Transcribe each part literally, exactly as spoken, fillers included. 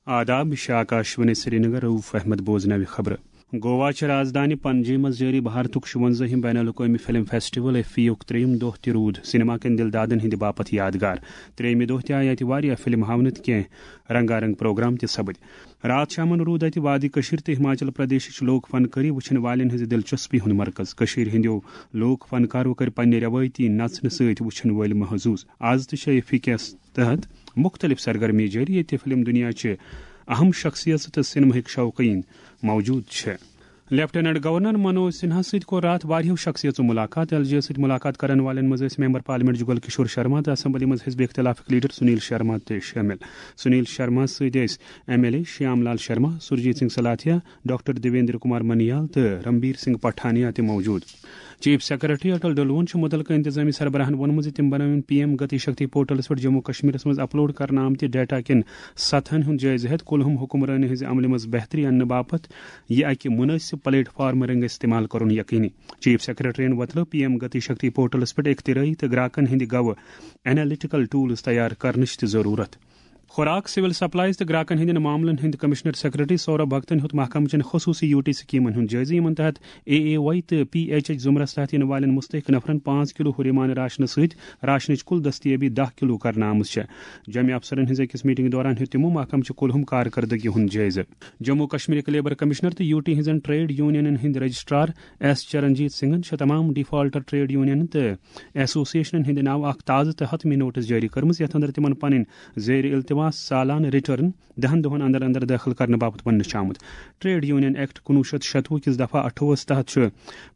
آداب، یہِ چھِ آکاشوانی سرینگر، رؤف احمد بوزناوِ خبرٕ۔ گوا چھِ رازدانی پنجی منٛز جٲری بھارتُک شُوَنزٲہِم بین الاقوٲمی فلم فیسٹیول ایفی یُک ترٛیٚیِم دۄہ تہِ روٗد سینما کٮ۪ن دِلدادن ہٕنٛدِ باپتھ یادگار۔ ترٛیٚیِمہِ دۄہ تہِ آیہِ اَتہِ واریاہ فلم ہاونہٕ تہٕ کینٛہہ رنگارنگ پروگرام تہِ سپٕدۍ۔ راتھ شامن روٗد اَتہِ وادی کٔشیٖر تہٕ ہماچل پردیشٕچ لوک فنکٲری وٕچھن والٮ۪ن ہٕنٛزِ دلچسپی ہُنٛد مرکز۔ کٔشیٖرِ ہٕنٛدیو لوک فنکارو کٔرۍ پننہِ رٮ۪وٲیتی نژنہٕ سۭتۍ وٕچھن وٲلۍ محظوظ۔ از تہِ چھِ ایفی کِس تحت مُختٔلِف سرگرمی جٲری، ییٚتہِ فلم دُنیا چہِ اہم شخصیژٕ تہٕ سینماہٕکۍ شوقیٖن موجود چھِ۔ لیفٹیننٹ گورنر منوج سنہا سۭتۍ کوٚر راتھ واریاہو شخصیژو ملاقات۔ ایل جے سۭتۍ ملاقات کرن والٮ۪ن منٛز ٲسۍ ممبر پارلیمنٹ جگل کشور شرما تہٕ اسمبلی منٛز حزب اختلافٕکۍ لیڈر سنیل شرما تہِ شٲمِل۔ سنیل شرما سۭتۍ ٲسۍ M L A Shyam Lal Sharma, Surjeet Singh Slathia, doctor Devinder Kumar Manyal تہٕ رنبیر سنگھ پٹھانیا تہِ موجود۔ چیف سیکرٹری اٹل ڈلون چھُ مُتعلقہٕ انتظامی سربراہن ووٚنمُت زِ تِم بنٲوِن پی ایم گتی شکتی پورٹلس پٮ۪ٹھ جموں کشمیرس منٛز اپلوڈ کرنہٕ آمتہِ ڈیٹا کٮ۪ن سطحن ہُنٛد جٲیزٕ ہٮ۪تھ کُلہُم حکمرٲنی ہٕنٛزِ عملہِ منٛز بہتری اننہٕ باپتھ یہِ اکہِ مُنٲسِب پلیٹ فارم رنگہِ استعمال کرُن یقینی۔ Chief سیکرٹریَن وۄتلٲو P M Gati Shakti پورٹلس پٮ۪ٹھ اختراعی تہٕ گراکن ہٕنٛدِ گوٚو انالیٹیکل ٹولز تیار کرنٕچ تہِ ضروٗرت۔ خوراک، سول سپلائز تہٕ گراکن ہٕنٛدٮ۪ن معاملن ہٕنٛدۍ کمشنر سیکرٹری سورب بھگتن ہیوٚت محکمہٕ چٮ۪ن خصوٗصی یو ٹی سکیمن ہُنٛد جٲیزٕ، یِمن تحت اے اے وائی تہٕ پی ایچ ایچ زمرس تحت یِنہٕ والٮ۪ن مستحق نفرن پانٛژھ کلو ہُریمان راشنہٕ سۭتۍ راشنٕچ کُل دستیٲبی دَہ کلو کرنہٕ آمٕژ چھےٚ۔ جوٚمہِ افسرن ہٕنٛزِ أکِس میٹنگ دوران ہیوٚت تِمو محکمہٕ چہِ کُلہُم کارکردگی ہُنٛد جٲیزٕ۔ جموں کشمیرٕکۍ لیبر کمشنر تہٕ یو ٹی ہٕنٛزن ٹریڈ یونینن ہٕنٛدۍ رجسٹرار ایس چرنجیت سنگھن چھِ تمام ڈیفالٹر ٹریڈ یونینن تہٕ ایسوسیشنن ہٕنٛدِ ناوٕ اکھ تازٕ تہٕ حتمی نوٹس جٲری کٔرمٕژ، یتھ اندر تِمن پنٕنۍ زیر التواس سالانہٕ ریٹرن دَہن دۄہن اندر اندر دٲخل کرنہٕ باپتھ وننہٕ چھُ آمُت۔ ٹریڈ یونین ایکٹ کُنوُہ شیٚتھ شتوُہ کِس دفعہ اَٹھووُہس تحت چھُ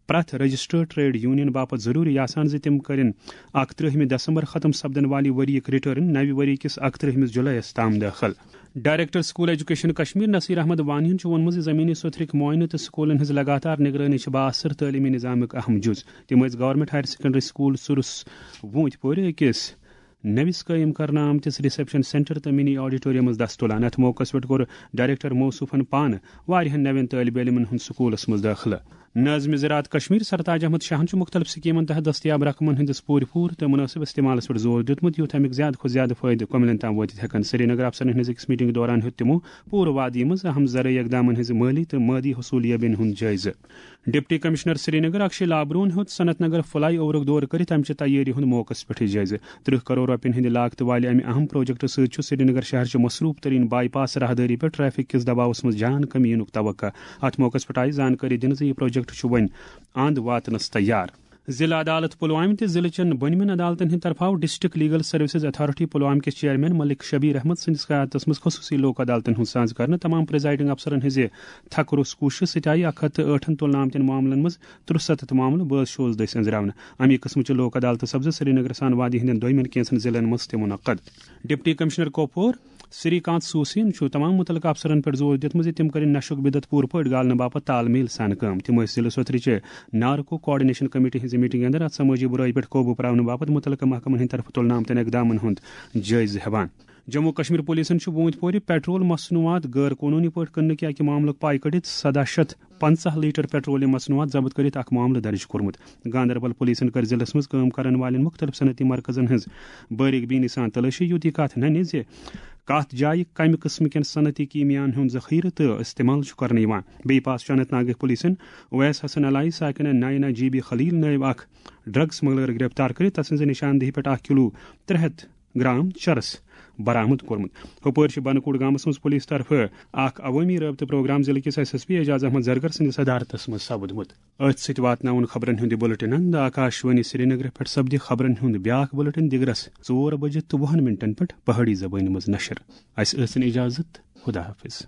پرٛٮ۪تھ رجسٹرڈ ٹریڈ یونین باپتھ ضروٗری آسان زِ تِم کٔرِن اکترٛہمہِ دسمبر ختم سپدن والی ؤریِک ریٹرن نوِ ؤری کِس اکترٛہمِس جُلایَس تام دٲخل۔ Director school education Kashmir Nasir Ahmad Wani یَن چھُ ووٚنمُت زِ زمینی سُتھرٕکۍ معائنہٕ تہٕ سکولن ہٕنٛز لگاتار نگرٲنی چھِ بااثر تعلیمی نظامُک اہم جُز۔ تِم ٲسۍ گورنمنٹ ہائر سیکنڈری سکول سُرُس ووٗنتۍ پورِ أکِس نٔوِس قٲیِم کرنہٕ آمتِس ریسپشن سینٹر تہٕ منی آڈیٹوریم منٛز دستہٕ تُلان۔ اَتھ موقعس پٮ۪ٹھ کوٚر ڈائریکٹر موصوفن پانہٕ واریاہن نوٮ۪ن طٲلبہِ علمن ہُنٛد سکوٗلس منٛز دٲخلہٕ۔ ناظم زراعت کشمیر سرتاج احمد شاہن چھُ مُختٔلِف سکیمن تحت دستیاب رقمن ہٕنٛدِس پوٗرٕ پوٗرٕ تہٕ مُنٲسِب استعمالس پٮ۪ٹھ زور دیُتمُت، یُتھ اَمیُک زیادٕ کھۄتہٕ زیادٕ فٲیدٕ کۄمِلٮ۪ن تام وٲتِتھ ہٮ۪کن۔ سرینگر افسرن ہٕنٛزِ أکِس میٹنگ دوران ہیوٚت تِمو پوٗرٕ وادی منٛز اہم زرعی اقدامن ہٕنٛزِ مٲلی تہٕ مٲدی حصوٗلیابین ہُنٛد جٲیزٕ۔ ڈپٹی کمشنر سرینگر اکشے لابروہن ہیوٚت صنعت نگر فلائی اوورُک دورٕ کٔرِتھ اَمہِ چہِ تیٲری ہُنٛد موقعس پٮ۪ٹھ جٲیزٕ۔ ترٕہ کرور رۄپین ہٕنٛدِ لاگتہٕ والہِ اَمہِ اہم پروجیکٹہٕ سۭتۍ چھُ سرینگر شہر چہِ مصروف ترین بائی پاس راہدٲری پٮ۪ٹھ ٹریفک کِس دباوس منٛز جان کمی یِنُک توقع۔ اَتھ موقعس پٮ۪ٹھ آیہِ زانکٲری دِنہٕ زِ یہِ پروجیکٹ چھُ وۄنۍ اند واتنس تیار۔ ضلع عدالت پلوامہ تہٕ ضلع چٮ۪ن بۄنمٮ۪ن عدالتن ہٕنٛدِ طرفہٕ آو district legal services authority Pulwama کِس چیئرمین ملک شبیر احمد سٕنٛدِس قیادتس منٛز خصوٗصی لوک عدالتن ہُنٛد سانز کرنہٕ۔ تمام پریزائیڈنگ افسرن ہٕنٛزِ تھکہٕ روٚس کوٗششہٕ سۭتۍ آیہِ اکھ ہتھ تہٕ ٲٹھن تُلنہٕ آمتٮ۪ن معاملن منٛز ترٛوٚ ستتھ معاملہٕ بٲز شوز دٔسۍ أنٛزراونہٕ۔ اَمہِ قٕسمٕچہِ لوک عدالتہٕ سپزٕ سرینگرس سان وادی ہٕنٛدٮ۪ن دویمٮ۪ن کینٛژن ضلعن منٛز تہِ منعقد۔ ڈپٹی کمشنر کۄپور سری کانت سوسین چھُ تمام مُتعلقہٕ افسرن پٮ۪ٹھ زور دیُتمُت زِ تِم کٔرِن نشُک بدعت پوٗرٕ پٲٹھۍ گالنہٕ باپتھ تال میل سان کٲم۔ تِم ٲسۍ ضلع سوتھرِ چہِ نارکو کوآرڈینیشن کمیٹی ہٕنٛزِ میٹنگ اندر اتھ سمٲجی برٲیی پٮ۪ٹھ قوبوٗ پراونہٕ باپتھ مُتعلقہٕ محکمن ہٕنٛدِ طرفہٕ تُلنہٕ آمتٮ۪ن اقدامن ہُنٛد جٲیزٕ ہٮ۪وان۔ جموں کشمیر پولیسن چھُ ووٗنتۍ پورِ پیٹرول مصنوعات غٲر قونوٗنی پٲٹھۍ کٕننہٕ کہِ اکہِ معاملُک پاے کٔڑِتھ سداہ شیٚتھ پنژاہ لیٹر پیٹرولیم مصنوعات ضبط کٔرِتھ اکھ معاملہٕ درج کوٚرمُت۔ گاندربل پولیسن کٔر ضلعس منٛز کٲم کرن والٮ۪ن مُختٔلِف صنعتی مرکزن ہٕنٛز بٲریک بینی سان تلٲشی، یُتھ یہِ کتھ ننہِ زِ کتھ جایہِ کمہِ قٕسمہٕ کٮ۪ن صنعتی کیٖمیاہن ہُنٛد ذخیرٕ تہٕ استعمال چھُ کرنہٕ یِوان۔ بیٚیہِ پاس چھُ اننت ناگٕکۍ پولیسن اویس حسن علایہِ ساکنہ نائنہ جی بی خلیل نٲوۍ اکھ ڈرگ سمگلر گرفتار کٔرِتھ تسٕنزِ نشاندہی پٮ۪ٹھ اکھ کلو ترٛےٚ ہتھ گرام چرس برآمد کوٚرمُت۔ ہُپٲرۍ چھِ بنکوٹ گامس منٛز پولیس طرفہٕ اکھ عوٲمی رٲبطہٕ پروگرام ضلعہٕ کِس S S P Aijaz Ahmad Zargar سٕنٛدِس صدارتس منٛز سپدمُت۔ أتھۍ سۭتۍ واتناوُن خبرن ہُنٛد یہِ بُلٹن اند۔ آکاشوانی سرینگرٕ پٮ۪ٹھ سپدِ خبرن ہُنٛد بیاکھ بُلٹن دِگرس ژور بجہِ تہٕ وُہن منٹن پٮ۪ٹھ پہٲڑی زبٲنۍ منٛز نشر۔ اسہِ ٲسِن اجازت۔ خدا حافظ۔